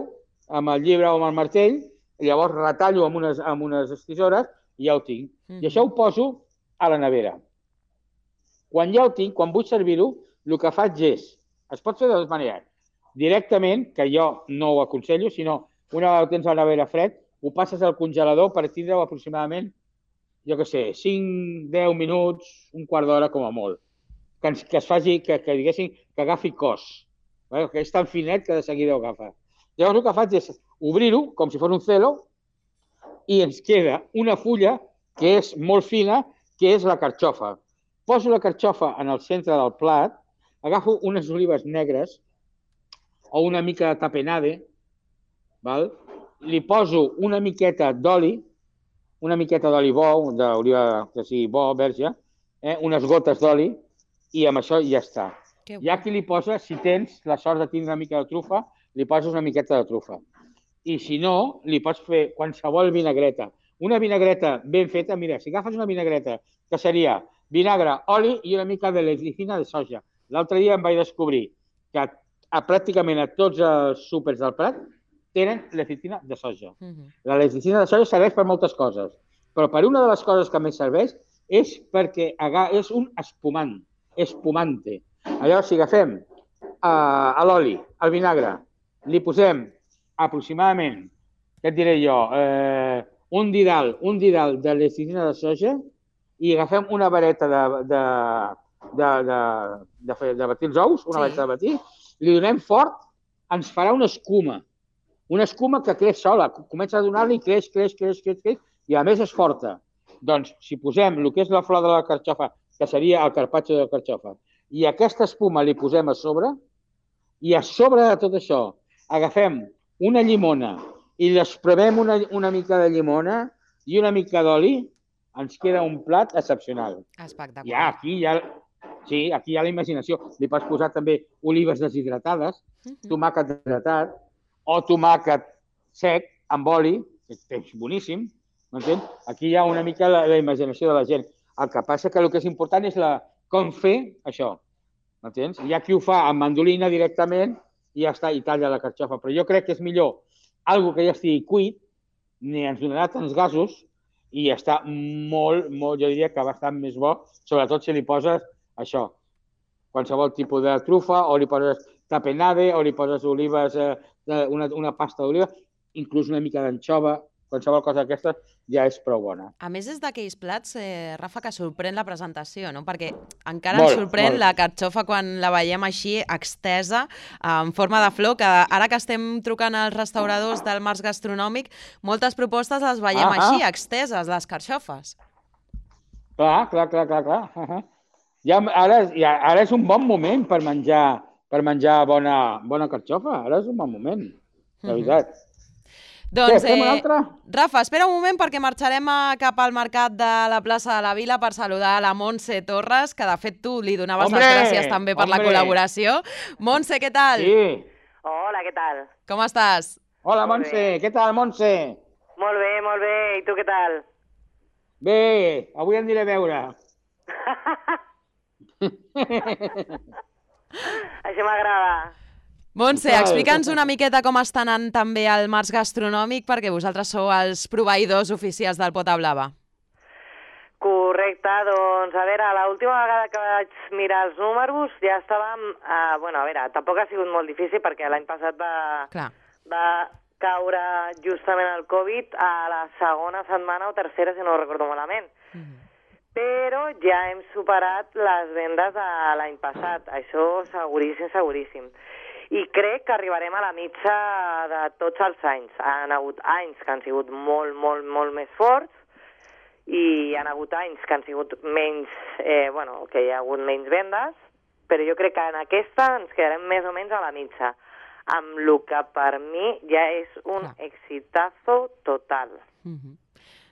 amb el llibre o amb el martell, i llavors retallo amb unes, amb unes tisores i ja ho tinc. Uh-huh. I això ho poso a la nevera. Quan ja ho tinc, quan vull servir-ho, el que faig és, es pot fer de dues maneres, directament, que jo no ho aconsello, sinó una vegada ho tens a la nevera fred, ho passes al congelador per tindre-ho aproximadament, jo què sé, cinc, deu minuts, un quart d'hora com a molt, que, ens, que es faci, que, que diguéssim, que agafi cos, eh? Que és tan finet que de seguida ho agafa. Llavors el que faig és obrir-ho com si fos un celo i ens queda una fulla que és molt fina, que és la carxofa. Poso la carxofa en el centre del plat, agafo unes olives negres o una mica de tapenade, val? Li poso una miqueta d'oli, una miqueta d'oli bo, d'oliva que sigui bo, verge, eh? unes gotes d'oli, i amb això ja està. Ja aquí li posa, si tens la sort de tindre una mica de trufa, li poses una miqueta de trufa. I si no, li pots fer qualsevol vinagreta. Una vinagreta ben feta, mira, si agafes una vinagreta que seria vinagre, oli i una mica de lecitina de soja. L'altre dia em vaig descobrir que a, a, pràcticament a tots els súpers del Prat tenen lecitina de soja. Uh -huh. La lecitina de soja serveix per moltes coses, però per una de les coses que més serveix és perquè és un espumant, espumante. Llavors, si agafem uh, l'oli, el vinagre, li posem aproximadament, què et diré jo, eh, un didal, un didal de lecitina de soja i agafem una vareta de, de, de, de, de, fer, de batir els ous, una sí. vareta de batir, li donem fort, ens farà una escuma. Una escuma que creix sola, comença a donar-li, creix, creix, creix, creix, creix, i a més és forta. Doncs, si posem el que és la flor de la carxofa, que seria el carpaccio de la carxofa, i aquesta espuma li posem a sobre, i a sobre de tot això agafem una llimona i l'espremem una, una mica de llimona i una mica d'oli, ens queda un plat excepcional. Espectacular. Ja, aquí ja, sí, aquí hi ha la imaginació. Li pots posar també olives deshidratades, uh-huh. tomàquet deshidratat, o tomàquet sec amb oli, que és boníssim, m'entens? Aquí hi ha una mica la, la imaginació de la gent. El que passa que el que és important és la, com fer això, m'entens? Hi ha qui ho fa amb mandolina directament i ja està, i talla la carxofa. Però jo crec que és millor algo que ja estigui cuit, ni ens donarà tants gasos, i està molt, molt, jo diria que bastant més bo, sobretot si li poses això, qualsevol tipus de trufa, o li poses tapenade, o li poses olives, eh, una, una pasta d'oliva, inclús una mica d'anxova, qualsevol cosa d'aquesta ja és prou bona. A més, és d'aquells plats, eh, Rafa, que sorprèn la presentació, no? Perquè encara molt, ens sorprèn molt. la carxofa quan la veiem així, extesa, en forma de flor, que ara que estem trucant als restauradors del Març Gastronòmic, moltes propostes les veiem ah, així, ah. exteses, les carxofes. Clar, clar, clar, clar, clar. Uh -huh. ja, ara, ja, ara és un bon moment per menjar, per menjar bona, bona carxofa. Ara és un bon moment, la veritat. Uh -huh. Doncs, eh, Rafa, espera un moment perquè marxarem a, cap al mercat de la plaça de la Vila per saludar la Montse Torres, que de fet tu li donaves hombre, les gràcies també per hombre. la col·laboració. Montse, què tal? Sí. Hola, què tal? Com estàs? Hola, molt Montse, bé. Què tal, Montse? Molt bé, molt bé. I tu què tal? Bé, avui em diré a veure. Això m'agrada. Montse, explica'ns una miqueta com està anant també el Març Gastronòmic, perquè vosaltres sou els proveïdors oficials del Pota Blava. Correcte, doncs, a veure, l'última vegada que vaig mirar els números ja estàvem... Uh, bueno, a veure, tampoc ha sigut molt difícil perquè l'any passat va, va caure justament el Covid a la segona setmana o tercera, si no ho recordo malament. Mm. Però ja hem superat les vendes de l'any passat. Això seguríssim, seguríssim. I crec que arribarem a la mitja de tots els anys. Han hagut anys que han sigut molt, molt, molt més forts i han hagut anys que han sigut menys, eh, bueno, que hi ha hagut menys vendes, però jo crec que en aquesta ens quedarem més o menys a la mitja, amb el que per mi ja és un Clar. exitazo total. Mm-hmm.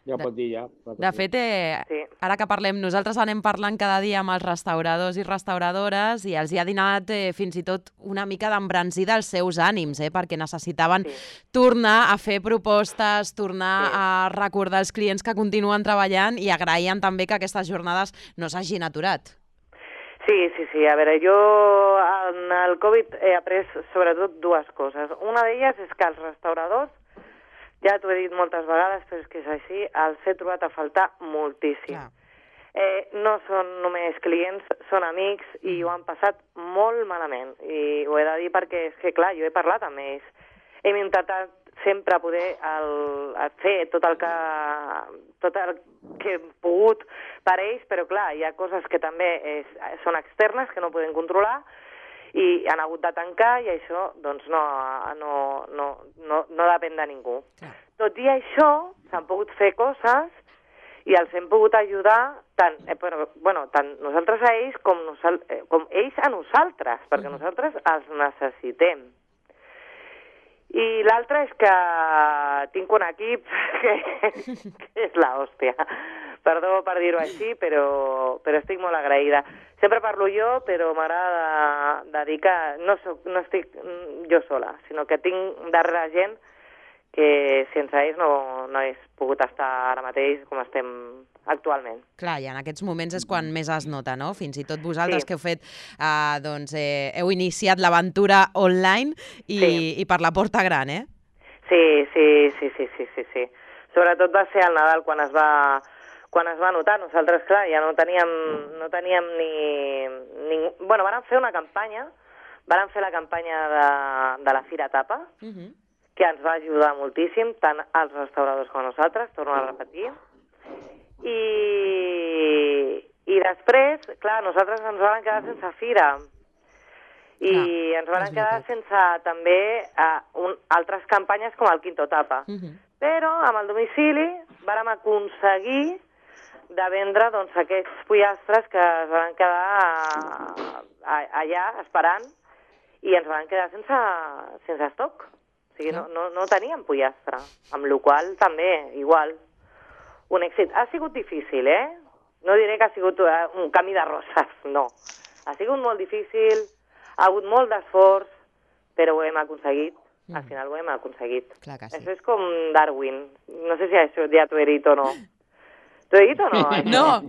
Ja pot dir, ja. De fet, eh, sí. ara que parlem, nosaltres anem parlant cada dia amb els restauradors i restauradores i els hi ha donat eh, fins i tot una mica d'embranzida als seus ànims, eh, perquè necessitaven sí. tornar a fer propostes, tornar sí. a recordar als clients que continuen treballant i agraïen també que aquestes jornades no s'hagin aturat. Sí, sí, sí. A veure, jo en el Covid he après sobretot dues coses. Una d'elles és que els restauradors, ja t'ho he dit moltes vegades, però és que és així, els he trobat a faltar moltíssim. Eh, no són només clients, són amics i ho han passat molt malament. I ho he de dir perquè és que, clar, jo he parlat amb ells. Hem intentat sempre poder el, el fer tot el, que, tot el que hem pogut per ells, però, clar, hi ha coses que també és, són externes, que no podem controlar, i han hagut de tancar i això doncs no, no, no, no, no depèn de ningú. Clar. Tot i això, s'han pogut fer coses i els hem pogut ajudar tant, eh, però, bueno, tant nosaltres a ells com, nosal eh, com ells a nosaltres, perquè mm. nosaltres els necessitem. I l'altre és que tinc un equip que, que és l'hòstia. Perdó per dir-ho així, però, però estic molt agraïda. Sempre parlo jo, però m'agrada de dir que no, soc, no estic jo sola, sinó que tinc darrere gent que sense ells no, no hagués pogut estar ara mateix com estem actualment. Clar, i en aquests moments és quan més es nota, no? Fins i tot vosaltres sí. que heu fet, eh, doncs, eh, heu iniciat l'aventura online i, sí. i per la porta gran, eh? Sí, sí, sí, sí, sí, sí, sí. Sobretot va ser al Nadal quan es va, quan es va notar. Nosaltres, clar, ja no teníem, no teníem ni, ni... Bueno, van fer una campanya, van fer la campanya de, de la Fira Tapa, uh -huh. que ens va ajudar moltíssim, tant als restauradors com a nosaltres, torno a repetir. I, i després, clar, nosaltres ens vam quedar sense fira. I ah, ens van quedar sense també uh, un, altres campanyes com el Quinto Tapa. Uh -huh. Però amb el domicili vàrem aconseguir de vendre doncs, aquests pollastres que es van quedar a, a, allà esperant i ens van quedar sense, sense estoc. O sigui, no, no, no teníem pollastre, amb la qual cosa també, igual, un èxit. Ha sigut difícil, eh? No diré que ha sigut un camí de roses, no. Ha sigut molt difícil, ha hagut molt d'esforç, però ho hem aconseguit. Mm. Al final ho hem aconseguit. Clar que sí. Això és com Darwin. No sé si això ja t'ho he dit o no. T'ho he dit o no? No!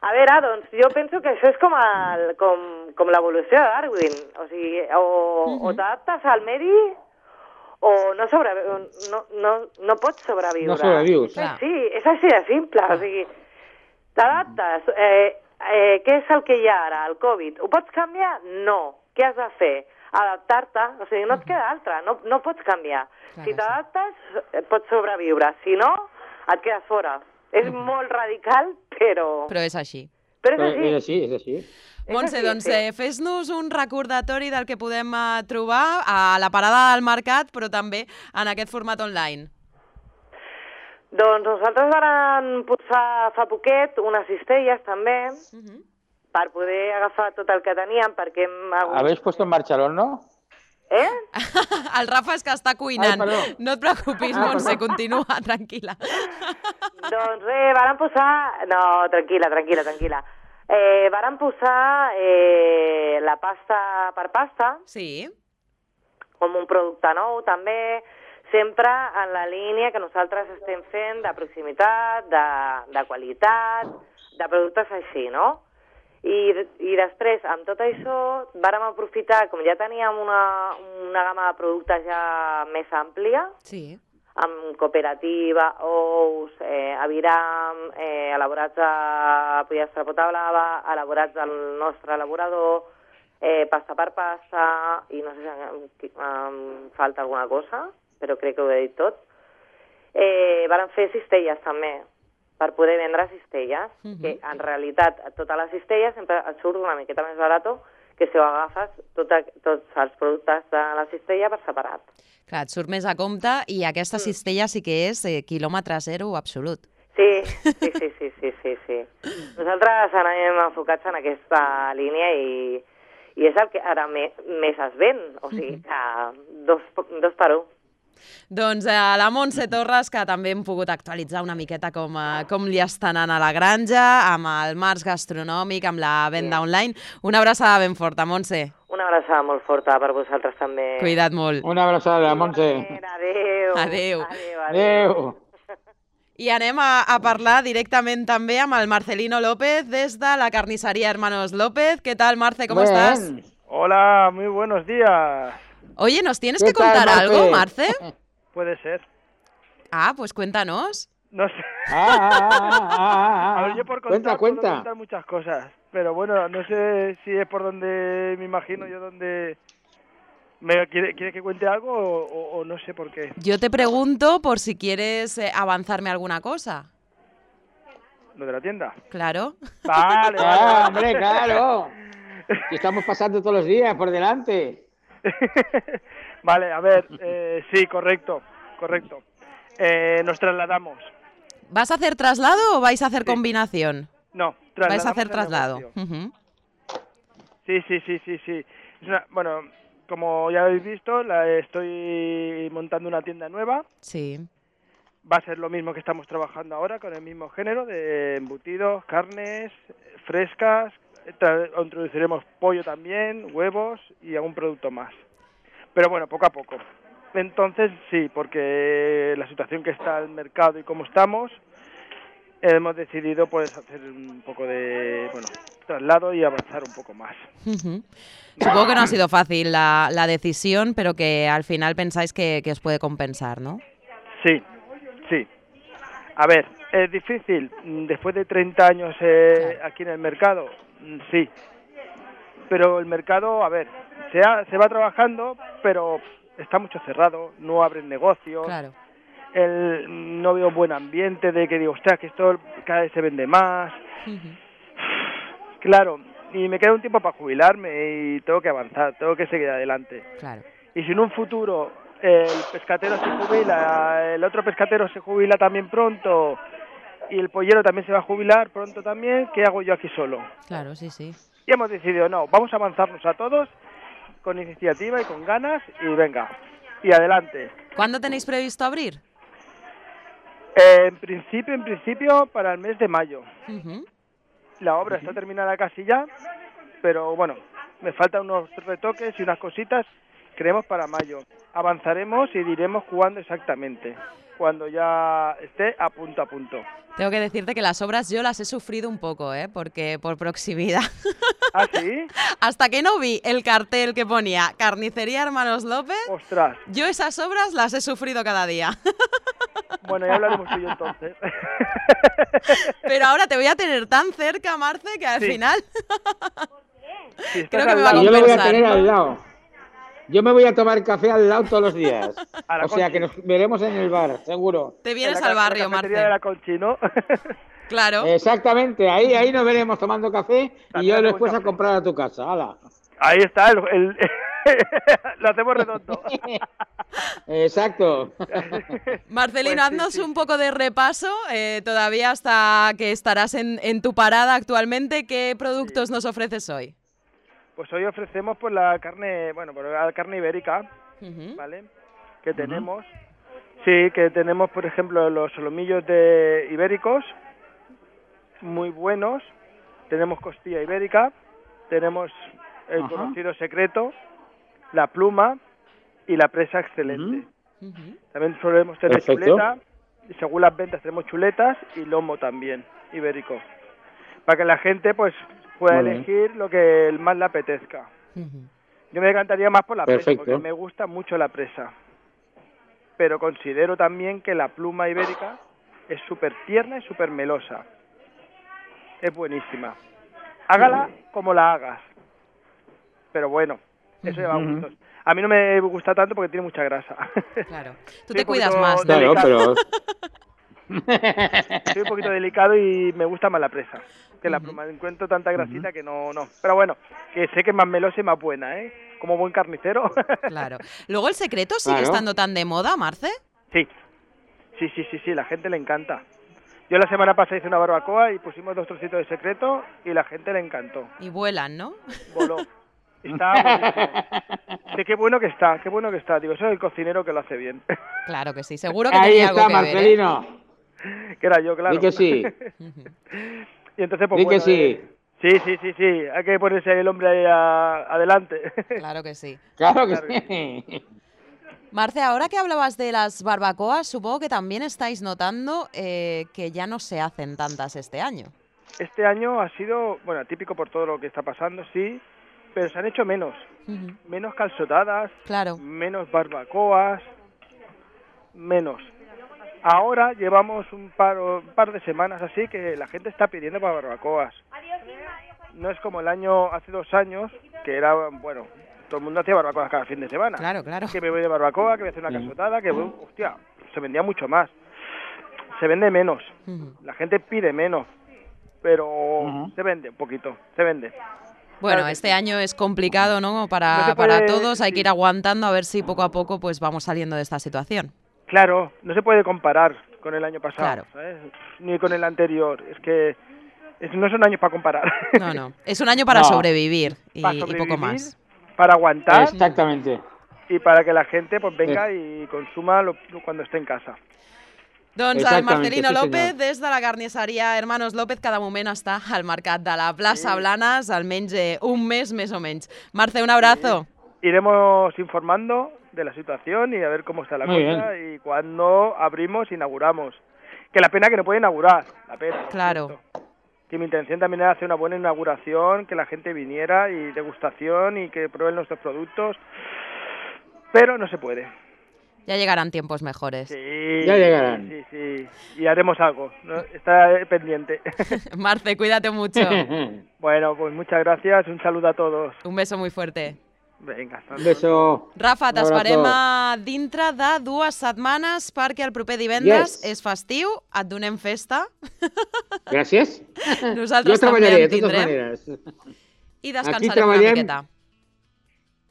A veure, doncs, jo penso que això és com, el, com, com l'evolució de Darwin. O sigui, o, mm -hmm. o t'adaptes al medi o no, sobrevi no, no, no pots sobreviure. No sobrevius. Sí, sí, és així de simple. O sigui, t'adaptes. Eh, eh, què és el que hi ha ara, el Covid? Ho pots canviar? No. Què has de fer? Adaptar-te. O sigui, no et queda altra. No, no pots canviar. Clar, si t'adaptes, pots sobreviure. Si no, et quedes fora. És uh-huh. molt radical, però... Però és així. Però és així. És així, és així. Montse, doncs eh, fes-nos un recordatori del que podem eh, trobar a la parada del mercat, però també en aquest format online. Doncs nosaltres vam posar fa poquet unes cistelles també, uh-huh. per poder agafar tot el que teníem, perquè hem hagut... ¿Habéis puesto en marcha el horno? Eh? El Rafa és que està cuinant. Ai, no et preocupis, ah, Montse, continua, tranquil·la. Doncs eh, vàrem posar... No, tranquil·la, tranquil·la, tranquil·la. Eh, vàrem posar eh, la pasta per pasta. Sí. Com un producte nou, també, sempre en la línia que nosaltres estem fent de proximitat, de, de qualitat, de productes així, no? I, i després, amb tot això, vàrem aprofitar, com ja teníem una, una gamma de productes ja més àmplia, sí. amb cooperativa, ous, eh, aviram, eh, elaborats a pollastre pota blava, elaborats al nostre elaborador, eh, pasta per pasta, i no sé si em, em falta alguna cosa, però crec que ho he dit tot. Eh, vàrem fer cistelles també, per poder vendre cistelles, uh-huh. que en realitat totes les cistelles sempre et surt una miqueta més barat que si ho agafes tot a, tots els productes de la cistella per separat. Clar, et surt més a compte i aquesta mm. cistella sí que és eh, quilòmetre zero absolut. Sí, sí, sí, sí, sí, sí, sí. Nosaltres anem enfocats en aquesta línia i, i és el que ara me, més es ven, o sigui que dos, dos per un. Doncs eh, la Montse Torres, que també hem pogut actualitzar una miqueta com, eh, com li està anant a la granja, amb el març gastronòmic, amb la venda sí. online. Una abraçada ben forta, Montse. Una abraçada molt forta per vosaltres també. Cuida't molt. Una abraçada, Montse. Adéu. Adéu. Adéu. Adéu. I anem a, a parlar directament també amb el Marcelino López des de la carnisseria Hermanos López. ¿Qué tal, Marce? ¿Cómo Bien. estás? Hola, muy buenos días. Oye, ¿nos tienes que contar tal, algo, Marce? Puede ser. Ah, pues cuéntanos. No sé. Ah, ah, ah, ah, ah. A ver, yo por contar, cuenta, cuenta. puedo contar muchas cosas, pero bueno, no sé si es por donde me imagino yo donde... ¿Me quiere, quiere que cuente algo o, o, o no sé por qué? Yo te pregunto por si quieres eh, avanzarme alguna cosa. ¿Lo de la tienda? Claro. Vale, vale. Ah, hombre, claro. Estamos pasando todos los días por delante. Vale, a ver, eh, sí, correcto, correcto. Eh, nos trasladamos. ¿Vas a hacer traslado o vais a hacer sí. combinación? No, trasladamos. Vais a hacer traslado. Uh-huh. Sí, sí, sí, sí, sí. Es una, bueno, como ya habéis visto, la estoy montando una tienda nueva. Sí. Va a ser lo mismo que estamos trabajando ahora, con el mismo género de embutidos, carnes, frescas. Introduciremos pollo también, huevos y algún producto más. Pero bueno, poco a poco. Entonces, sí, porque la situación que está el mercado y cómo estamos, hemos decidido pues hacer un poco de, bueno, traslado y avanzar un poco más. Uh-huh. Supongo que no ha sido fácil la, la decisión, pero que al final pensáis que, que os puede compensar, ¿no? Sí, sí. A ver, ¿es difícil? Después de treinta años eh, claro. aquí en el mercado, sí. Pero el mercado, a ver, se, ha, se va trabajando, pero está mucho cerrado, no abren negocios. Claro. El, no veo buen ambiente de que digo, ostras, que esto cada vez se vende más. Uh-huh. Claro, y me queda un tiempo para jubilarme y tengo que avanzar, tengo que seguir adelante. Claro. Y si en un futuro el pescatero se jubila, el otro pescatero se jubila también pronto y el pollero también se va a jubilar pronto también, ¿qué hago yo aquí solo? Claro, sí, sí. Y hemos decidido, no, vamos a avanzarnos a todos con iniciativa y con ganas y venga, y adelante. ¿Cuándo tenéis previsto abrir? Eh, en principio, en principio, para el mes de mayo. Uh-huh. La obra uh-huh. está terminada casi ya, pero bueno, me faltan unos retoques y unas cositas, creemos para mayo. Avanzaremos y diremos cuándo exactamente, cuando ya esté a punto a punto. Tengo que decirte que las obras yo las he sufrido un poco, ¿eh? Porque por proximidad. ¿Ah, sí? Hasta que no vi el cartel que ponía Carnicería Hermanos López, ¡ostras! Yo esas obras las he sufrido cada día. Bueno, ya hablaremos tú y yo entonces. Pero ahora te voy a tener tan cerca, Marce, que al sí. final sí, creo que me va a compensar. Yo me voy a tener al lado. Yo me voy a tomar café al lado todos los días. O sea, que nos veremos en el bar, seguro. Te vienes la, al barrio, Marce. de la Conchi, ¿no? Claro. Exactamente, ahí ahí nos veremos tomando café y yo después a comprar a tu casa. ¡Hala! Ahí está, el, el lo hacemos redondo. Exacto. Marcelino, pues sí, haznos sí. un poco de repaso, eh, todavía hasta que estarás en, en tu parada actualmente. ¿Qué productos sí. nos ofreces hoy? Pues hoy ofrecemos pues la carne, bueno, pues la carne ibérica, uh-huh. ¿vale? Que tenemos, uh-huh. sí, que tenemos, por ejemplo, los solomillos de ibéricos, muy buenos. Tenemos costilla ibérica, tenemos el uh-huh. conocido secreto, la pluma y la presa excelente. Uh-huh. También solemos tener Perfecto. chuleta, y según las ventas tenemos chuletas y lomo también, ibérico. Para que la gente, pues, pueda vale. elegir lo que más le apetezca. Uh-huh. Yo me decantaría más por la Perfecto. presa, porque me gusta mucho la presa. Pero considero también que la pluma ibérica es súper tierna y súper melosa. Es buenísima. Hágala como la hagas. Pero bueno, eso lleva uh-huh. gustos. A mí no me gusta tanto porque tiene mucha grasa. Claro. Tú te cuidas más, ¿no? Claro, pero... Soy un poquito delicado y me gusta más la presa que la pluma. Encuentro tanta grasita uh-huh. que no, no. Pero bueno, que sé que es más melosa y más buena, ¿eh? Como buen carnicero. Claro. Luego, ¿el secreto sigue claro. estando tan de moda, Marce? Sí. Sí, sí, sí, sí. La gente le encanta. Yo la semana pasada hice una barbacoa y pusimos dos trocitos de secreto y la gente le encantó. Y vuelan, ¿no? Voló. Está buenísimo. Sí, qué bueno que está, qué bueno que está. Digo, soy el cocinero que lo hace bien. Claro que sí. Seguro que Ahí tenía está, algo que Marcelino. ver, ¿eh? Que era yo, claro. Di que sí. Y entonces, pues Di bueno, que sí. Eh, sí, sí, sí, sí. Hay que ponerse ahí el hombre ahí a, adelante. Claro que sí. Claro que claro sí. Que sí. Marce, ahora que hablabas de las barbacoas, supongo que también estáis notando eh, que ya no se hacen tantas este año. Este año ha sido, bueno, típico por todo lo que está pasando, sí, pero se han hecho menos. Uh-huh. Menos calzotadas, claro. menos barbacoas, menos. Ahora llevamos un par, un par de semanas así que la gente está pidiendo para barbacoas. No es como el año, hace dos años, que era, bueno, todo el mundo hacía barbacoas cada fin de semana. Claro, claro. Que me voy de barbacoa, que voy a hacer una calzotada, que voy, hostia, se vendía mucho más. Se vende menos, uh-huh. la gente pide menos, pero uh-huh. se vende un poquito, se vende. Bueno, claro este sí. año es complicado, ¿no? Para, no puede, para todos, hay sí. que ir aguantando a ver si poco a poco pues vamos saliendo de esta situación. Claro, no se puede comparar con el año pasado, claro. ¿sabes? Ni con el anterior, es que es, no son años para comparar. No, no, es un año para no. sobrevivir, y, para sobrevivir, y poco más. Para aguantar. Exactamente. Y para que la gente pues venga sí. y consuma lo, cuando esté en casa. Doncs el Marcelino sí, López, des de la carnisseria Hermanos López, cada moment està al mercat de la plaça sí. Blanes, almenys eh, un mes més o menys. Marce, un abrazo. Sí. Iremos informando de la situación y a ver cómo está la Muy cosa bien. Y cuando abrimos, inauguramos. Que la pena que no puede inaugurar, la pena. Claro. Que mi intención también era hacer una buena inauguración, que la gente viniera y degustación y que prueben nuestros productos, pero no se puede. Ya llegarán tiempos mejores. Sí, ya llegarán. Sí, sí, sí. Y haremos algo, ¿no? Está pendiente. Marce, cuídate mucho. Bueno, pues muchas gracias, un saludo a todos. Un beso muy fuerte. Vinga, hasta un beso. Rafa, t'esperem dintre de dues setmanes perquè el proper divendres yes. és festiu, et donem festa. Gràcies. Nosaltres jo també en en tindrem. I descansarem una miqueta.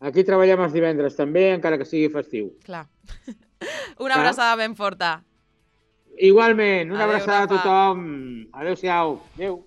Aquí treballem els divendres també, encara que sigui festiu. Clar. Una abraçada ben forta. Igualment, una Adeu, abraçada Rafa. a tothom. Adéu-siau. Adéu.